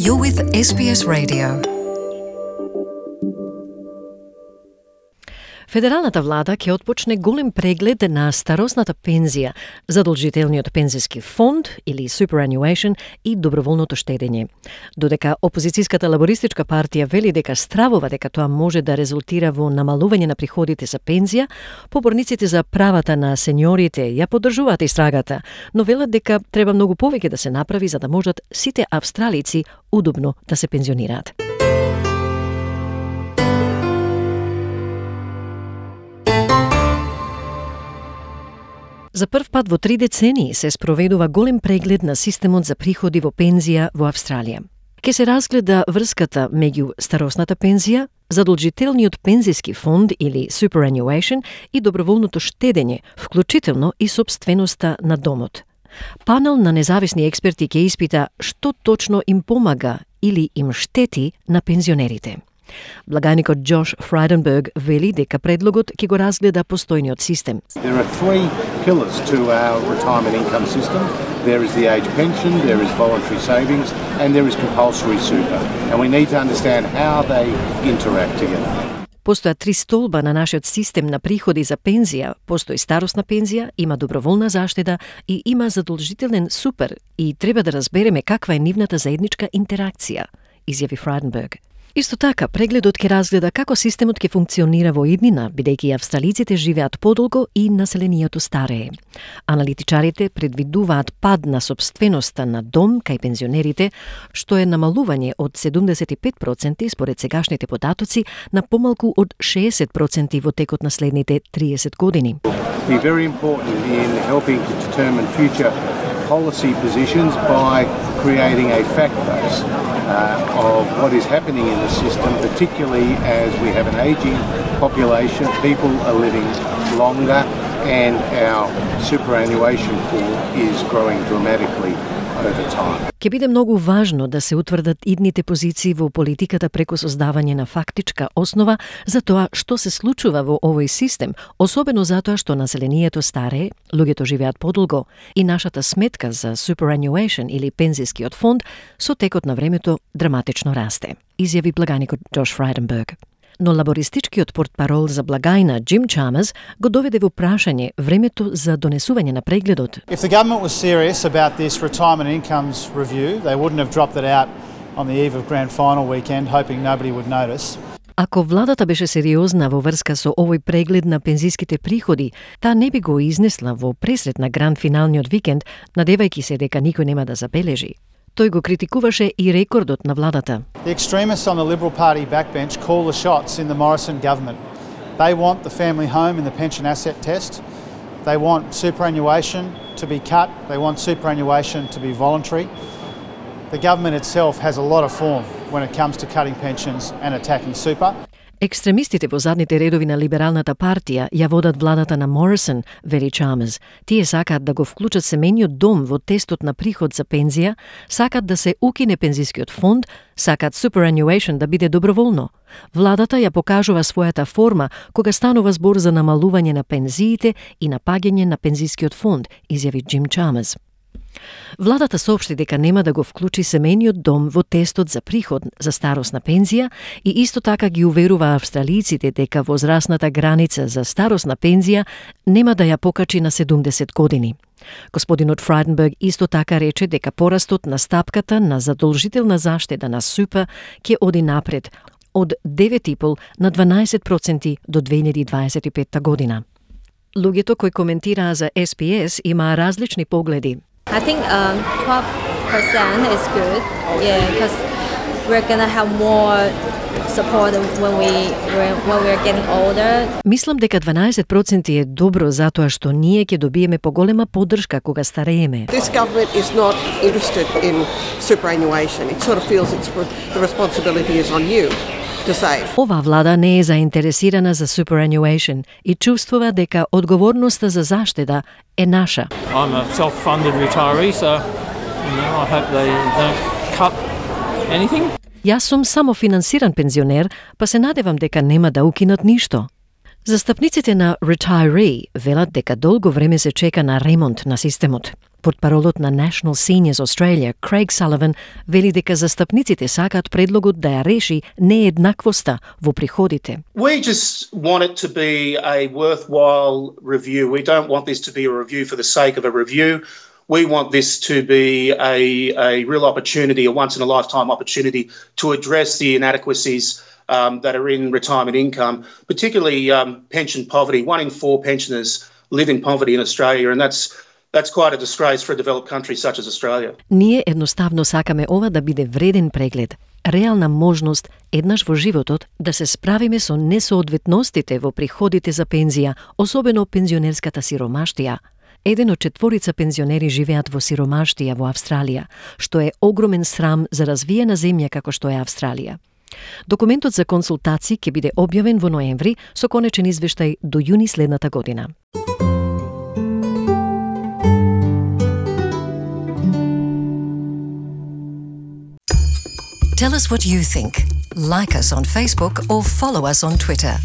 You're with SBS Radio. Федералната влада ќе отпочне голем преглед на старосната пензија, задолжителниот пензиски фонд или superannuation и доброволното штедење. Додека опозицијската лабористичка партија вели дека стравува дека тоа може да резултира во намалување на приходите за пензија, поборниците за правата на сеньорите ја поддржуваат истрагата, но велат дека треба многу повеќе да се направи за да можат сите австралици удобно да се пензионираат. За прв пат во 3 децении се спроведува голем преглед на системот за приходи во пензија во Австралија. Ке се разгледа врската меѓу старосната пензија, задолжителниот пензиски фонд или superannuation и доброволното штедење, вклучително и сопственоста на домот. Панел на независни експерти ќе испита што точно им помага или им штети на пензионерите. Благаникот Josh Frydenberg вели дека предлогот ќе го разгледа постојниот систем. There are 3 pillars to our retirement income system. There is the age pension, there is voluntary savings, and there is compulsory super. And we need to understand how they interact together. Постојат 3 столба на нашиот систем на приходи за пензија. Постои старосна пензија, има доброволна заштеда и има задолжителен супер и треба да разбереме каква е нивната заедничка интеракција, изјави Frydenberg. Исто така, прегледот ќе разгледа како системот ќе функционира во иднина, бидејќи австралиците живеат подолго и населението старее. Аналитичарите предвидуваат пад на сопственоста на дом кај пензионерите, што е намалување од 75% според сегашните податоци на помалку од 60% во текот на следните 30 години. Be very important in helping to determine future policy positions by creating a fact base of what is happening in the system, particularly as we have an ageing population, people are living longer, and our superannuation pool is growing dramatically over time. Ќе биде многу важно да се утврдат идните позиции во политиката преку создавање на фактичка основа за тоа што се случува во овој систем, особено затоа што населението старее, луѓето живеат подолго и нашата сметка за superannuation или пензискиот фонд со текот на времето драматично расте, изјави благаникот Josh Frydenberg. Но лабористичкиот портпарол за благајна Jim Chalmers го доведе во прашање времето за донесување на прегледот. If the government was serious about this retirement incomes review, they wouldn't have dropped it out on the eve of grand final weekend, hoping nobody would notice. Ако владата беше сериозна во врска со овој преглед на пензиските приходи, таа не би го изнесла во пресред на гранд финалниот викенд, надевајќи се дека никој нема да забележи. Тој го критикуваше и рекордот на владата. The extremists on the Liberal Party backbench call the shots in the Morrison government. They want the family home in the pension asset test. They want superannuation to be cut. They want superannuation to be voluntary. The government itself has a lot of form when it comes to cutting pensions and attacking super. Екстремистите во задните редови на либералната партија ја водат владата на Морисон, вели Чалмерс. Тие сакаат да го вклучат семејниот дом во тестот на приход за пензија, сакаат да се укине пензискиот фонд, сакаат superannuation да биде доброволно. Владата ја покажува својата форма кога станува збор за намалување на пензиите и напаѓање на пензискиот фонд, изјави Джим Чалмерс. Владата соопшти дека нема да го вклучи семејниот дом во тестот за приход за старосна пензија и исто така ги уверува австралиците дека возрастната граница за старосна пензија нема да ја покачи на 70 години. Господинот Frydenberg исто така рече дека порастот на стапката на задолжителна заштеда на супа ќе оди напред од 9,5 на 12% до 2025 година. Луѓето кои коментираа за SPS имаа различни погледи. I think 12% is good, because we're gonna have more support when we're getting older. Мислам дека 12% е добро затоа што ние ќе добиеме поголема поддршка кога старееме. This government is not interested in superannuation. It sort of feels the responsibility is on you to save. Ова влада не е заинтересирана за superannuation и чувствува дека одговорноста за заштеда е наша. I'm a self-funded retiree, so I hope they don't cut anything. Јас сум самофинансиран пензионер, па се надевам дека нема да укинат ништо. Застапниците на Retiree велат дека долго време се чека на ремонт на системот. Портпаролот на National Seniors Australia, Craig Sullivan, вели дека застапниците сакаат предлогот да ја реши нееднаквоста во приходите. We just want it to be a worthwhile review. We don't want this to be a review for the sake of a review. We want this to be a real opportunity, a once-in-a-lifetime opportunity to address the inadequacies that are in retirement income, particularly pension poverty. 1 in 4 pensioners live in poverty in Australia, and that's quite a disgrace for a developed country such as Australia. Ние едноставно сакаме ова да биде вреден преглед, реална можност еднаш во животот да се справиме со несоодветностите во приходите за пензија, особено пензионерската сиромаштија. 1 од 4 пензионери живеат во сиромаштија во Австралија, што е огромен срам за развиена земја како што е Австралија. Документот за консултации ќе биде објавен во ноември со конечен извештај до јуни следната година. Tell us what you think. Like us on Facebook or follow us on Twitter.